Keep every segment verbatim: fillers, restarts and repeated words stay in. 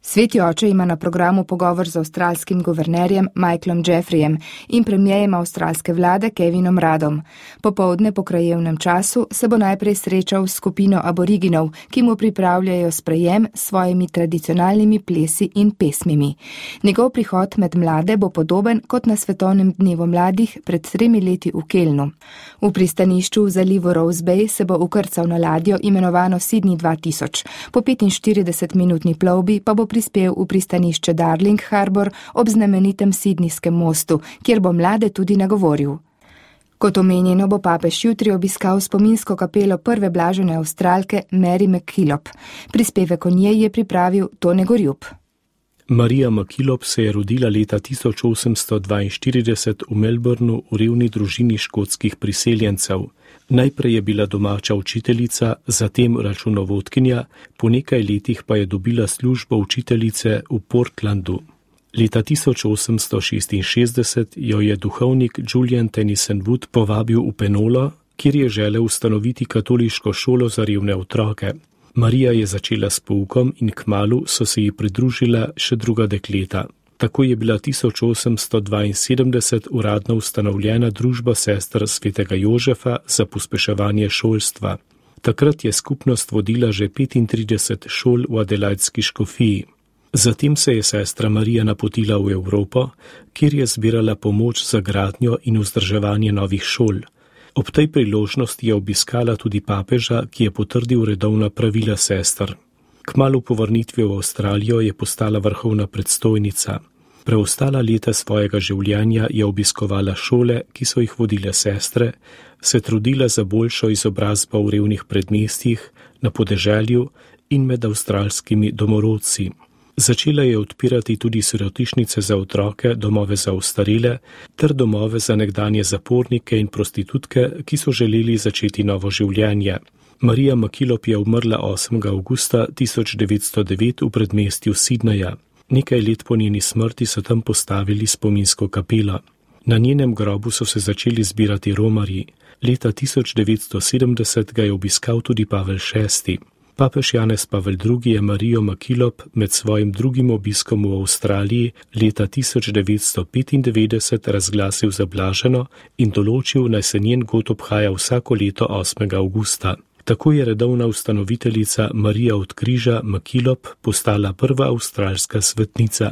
Sveti oče ima na programu pogovor z avstralskim guvernerjem Michaelom Jeffreyjem in premierjem avstralske vlade Kevinom Ruddom. Popoldne po krajevnem času se bo najprej srečal s skupino aboriginov, ki mu pripravljajo sprejem s svojimi tradicionalnimi plesi in pesmimi. Njegov prihod med mlade bo podoben kot na Svetovnem dnevu mladih pred tremi leti v Kelnu. V pristanišču v zalivu Rose Bay se bo ukrcal na ladjo imenovano Sydney dva tisoč. Po petinštiridesetminutni plovbi pa bo prispel v pristanišče Darling Harbour ob znamenitem Sydneyskem mostu, kjer bo mlade tudi nagovoril. Kot omenjeno bo papež jutri obiskal spominsko kapelo prve blažene Avstralke Mary MacKillop. Prispevek o njej je pripravil Tone Gorjup. Marija MacKillop se je rodila leta tisoč osemsto dvainštirideset v Melbourneu v revni družini škotskih priseljencev. Najprej je bila domača učiteljica, zatem računovodkinja, po nekaj letih pa je dobila službo učiteljice v Portlandu. Leta tisoč osemsto šestinšestdeset jo je duhovnik Julian Tennyson Wood povabil v Penolo, kjer je želel ustanoviti katoliško šolo za revne otroke. Marija je začela s poukom in kmalu so se ji pridružila še druga dekleta. Tako je bila tisoč osemsto dvainsedemdeset uradno ustanovljena družba sester svetega Jožefa za pospeševanje šolstva. Takrat je skupnost vodila že petintrideset šol v Adelaidski škofiji. Zatem se je sestra Marija napotila v Evropo, kjer je zbirala pomoč za gradnjo in vzdrževanje novih šol. Ob tej priložnosti je obiskala tudi papeža, ki je potrdil redovna pravila sester. Kmalu po vrnitvi v Avstralijo je postala vrhovna predstojnica. Preostala leta svojega življenja je obiskovala šole, ki so jih vodile sestre, se trudila za boljšo izobrazbo v revnih predmestjih, na podeželju in med avstralskimi domorodci. Začela je odpirati tudi sirotišnice za otroke, domove za ostarele ter domove za nekdanje zapornike in prostitutke, ki so želeli začeti novo življenje. Marija MacKillop je umrla osmega avgusta tisoč devetsto devet v predmestju Sydneyja. Nekaj let po njeni smrti so tam postavili spominsko kapelo. Na njenem grobu so se začeli zbirati romarji. Leta tisoč devetsto sedemdeset ga je obiskal tudi Pavel šesti. Papež Janez Pavel drugi je Marijo MacKillop med svojim drugim obiskom v Avstraliji leta tisoč devetsto petindevetdeset razglasil za blaženo in določil, naj se njen god obhaja vsako leto osmega avgusta. Tako je redovna ustanoviteljica Marija od križa MacKillop postala prva avstralska svetnica.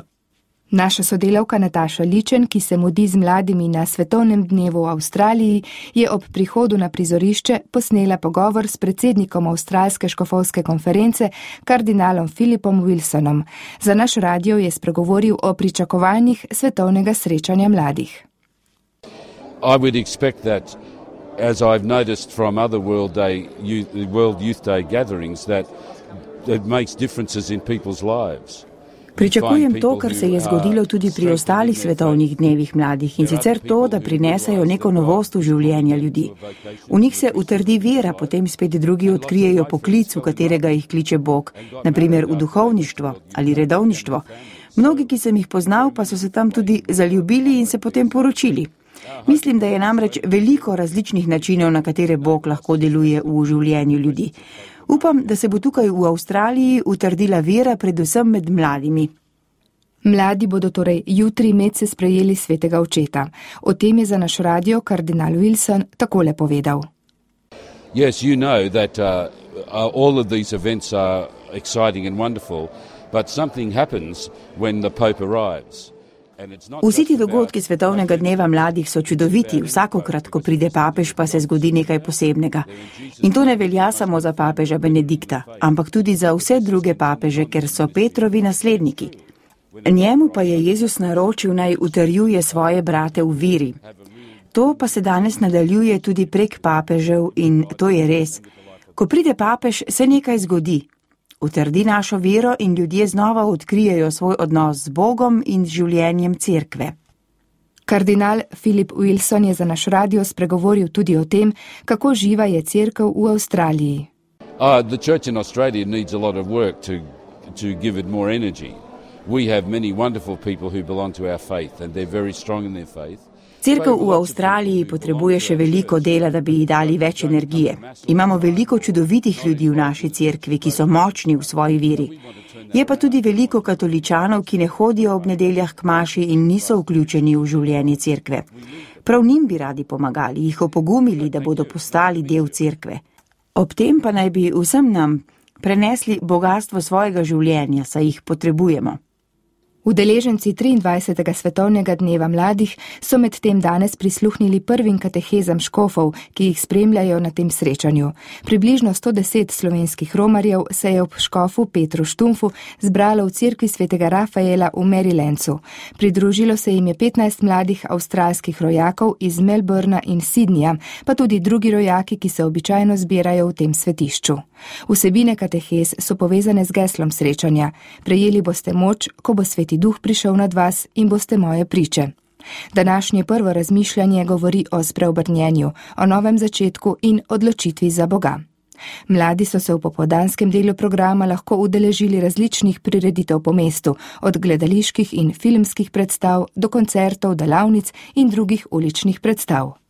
Naša sodelavka Nataša Ličen, ki se mudi z mladimi na Svetovnem dnevu v Avstraliji, je ob prihodu na prizorišče posnela pogovor s predsednikom Avstralske škofovske konference, kardinalom Philipom Wilsonom. Za naš radio je spregovoril o pričakovanjih svetovnega srečanja mladih. I would expect that, as I've noticed from other World Day, World Youth Day gatherings, that it makes differences in people's lives. Pričakujem to, kar se je zgodilo tudi pri ostalih svetovnih dnevih mladih, in sicer to, da prinesajo neko novost v življenja ljudi. V njih se utrdi vera, potem spet drugi odkrijejo poklic, v katerega jih kliče Bog, naprimer v duhovništvo ali redovništvo. Mnogi, ki sem jih poznal, pa so se tam tudi zaljubili in se potem poročili. Mislim, da je namreč veliko različnih načinov, na katere Bog lahko deluje v življenju ljudi. Upam, da se bo tukaj v Avstraliji utrdila vera predvsem med mladimi. Mladi bodo torej jutri medse sprejeli svetega očeta. O tem je za naš radio kardinal Wilson takole povedal. Yes, you know that uh, all of these events are exciting and wonderful, but something happens when the Pope arrives. Vsi ti dogodki svetovnega dneva mladih so čudoviti, vsakokrat, ko pride papež, pa se zgodi nekaj posebnega. In to ne velja samo za papeža Benedikta, ampak tudi za vse druge papeže, ker so Petrovi nasledniki. Njemu pa je Jezus naročil, naj utrjuje svoje brate v veri. To pa se danes nadaljuje tudi prek papežev in to je res. Ko pride papež, se nekaj zgodi. Utrdi našo vero in ljudje znova odkrijejo svoj odnos z Bogom in z življenjem cerkve. Kardinal Philip Wilson je za naš radio spregovoril tudi o tem, kako živa je cerkev v Avstraliji. Uh, the church in Australia needs a lot of work to, to give it more energy. We have many wonderful people who belong to our faith and they're very strong in their faith. Cerkev v Avstraliji potrebuje še veliko dela, da bi ji dali več energije. Imamo veliko čudovitih ljudi v naši cerkvi, ki so močni v svoji veri. Je pa tudi veliko katoličanov, ki ne hodijo ob nedeljah k maši in niso vključeni v življenje cerkve. Prav njim bi radi pomagali, jih opogumili, da bodo postali del cerkve. Ob tem pa naj bi vsem nam prenesli bogastvo svojega življenja, saj jih potrebujemo. Udeleženci triindvajsetega svetovnega dneva mladih so med tem danes prisluhnili prvim katehezam škofov, ki jih spremljajo na tem srečanju. Približno sto deset slovenskih romarjev se je ob škofu Petru Štumfu zbralo v cerkvi svetega Rafaela v Marylandcu. Pridružilo se jim je petnajst mladih avstralskih rojakov iz Melbourna in Sydneyja, pa tudi drugi rojaki, ki se običajno zbirajo v tem svetišču. Vsebine katehez so povezane z geslom srečanja. Prejeli boste moč, ko bo Sveti Duh prišel nad vas in boste moje priče. Današnje prvo razmišljanje govori o spreobrnjenju, o novem začetku in odločitvi za Boga. Mladi so se v popoldanskem delu programa lahko udeležili različnih prireditev po mestu, od gledaliških in filmskih predstav do koncertov, delavnic in drugih uličnih predstav.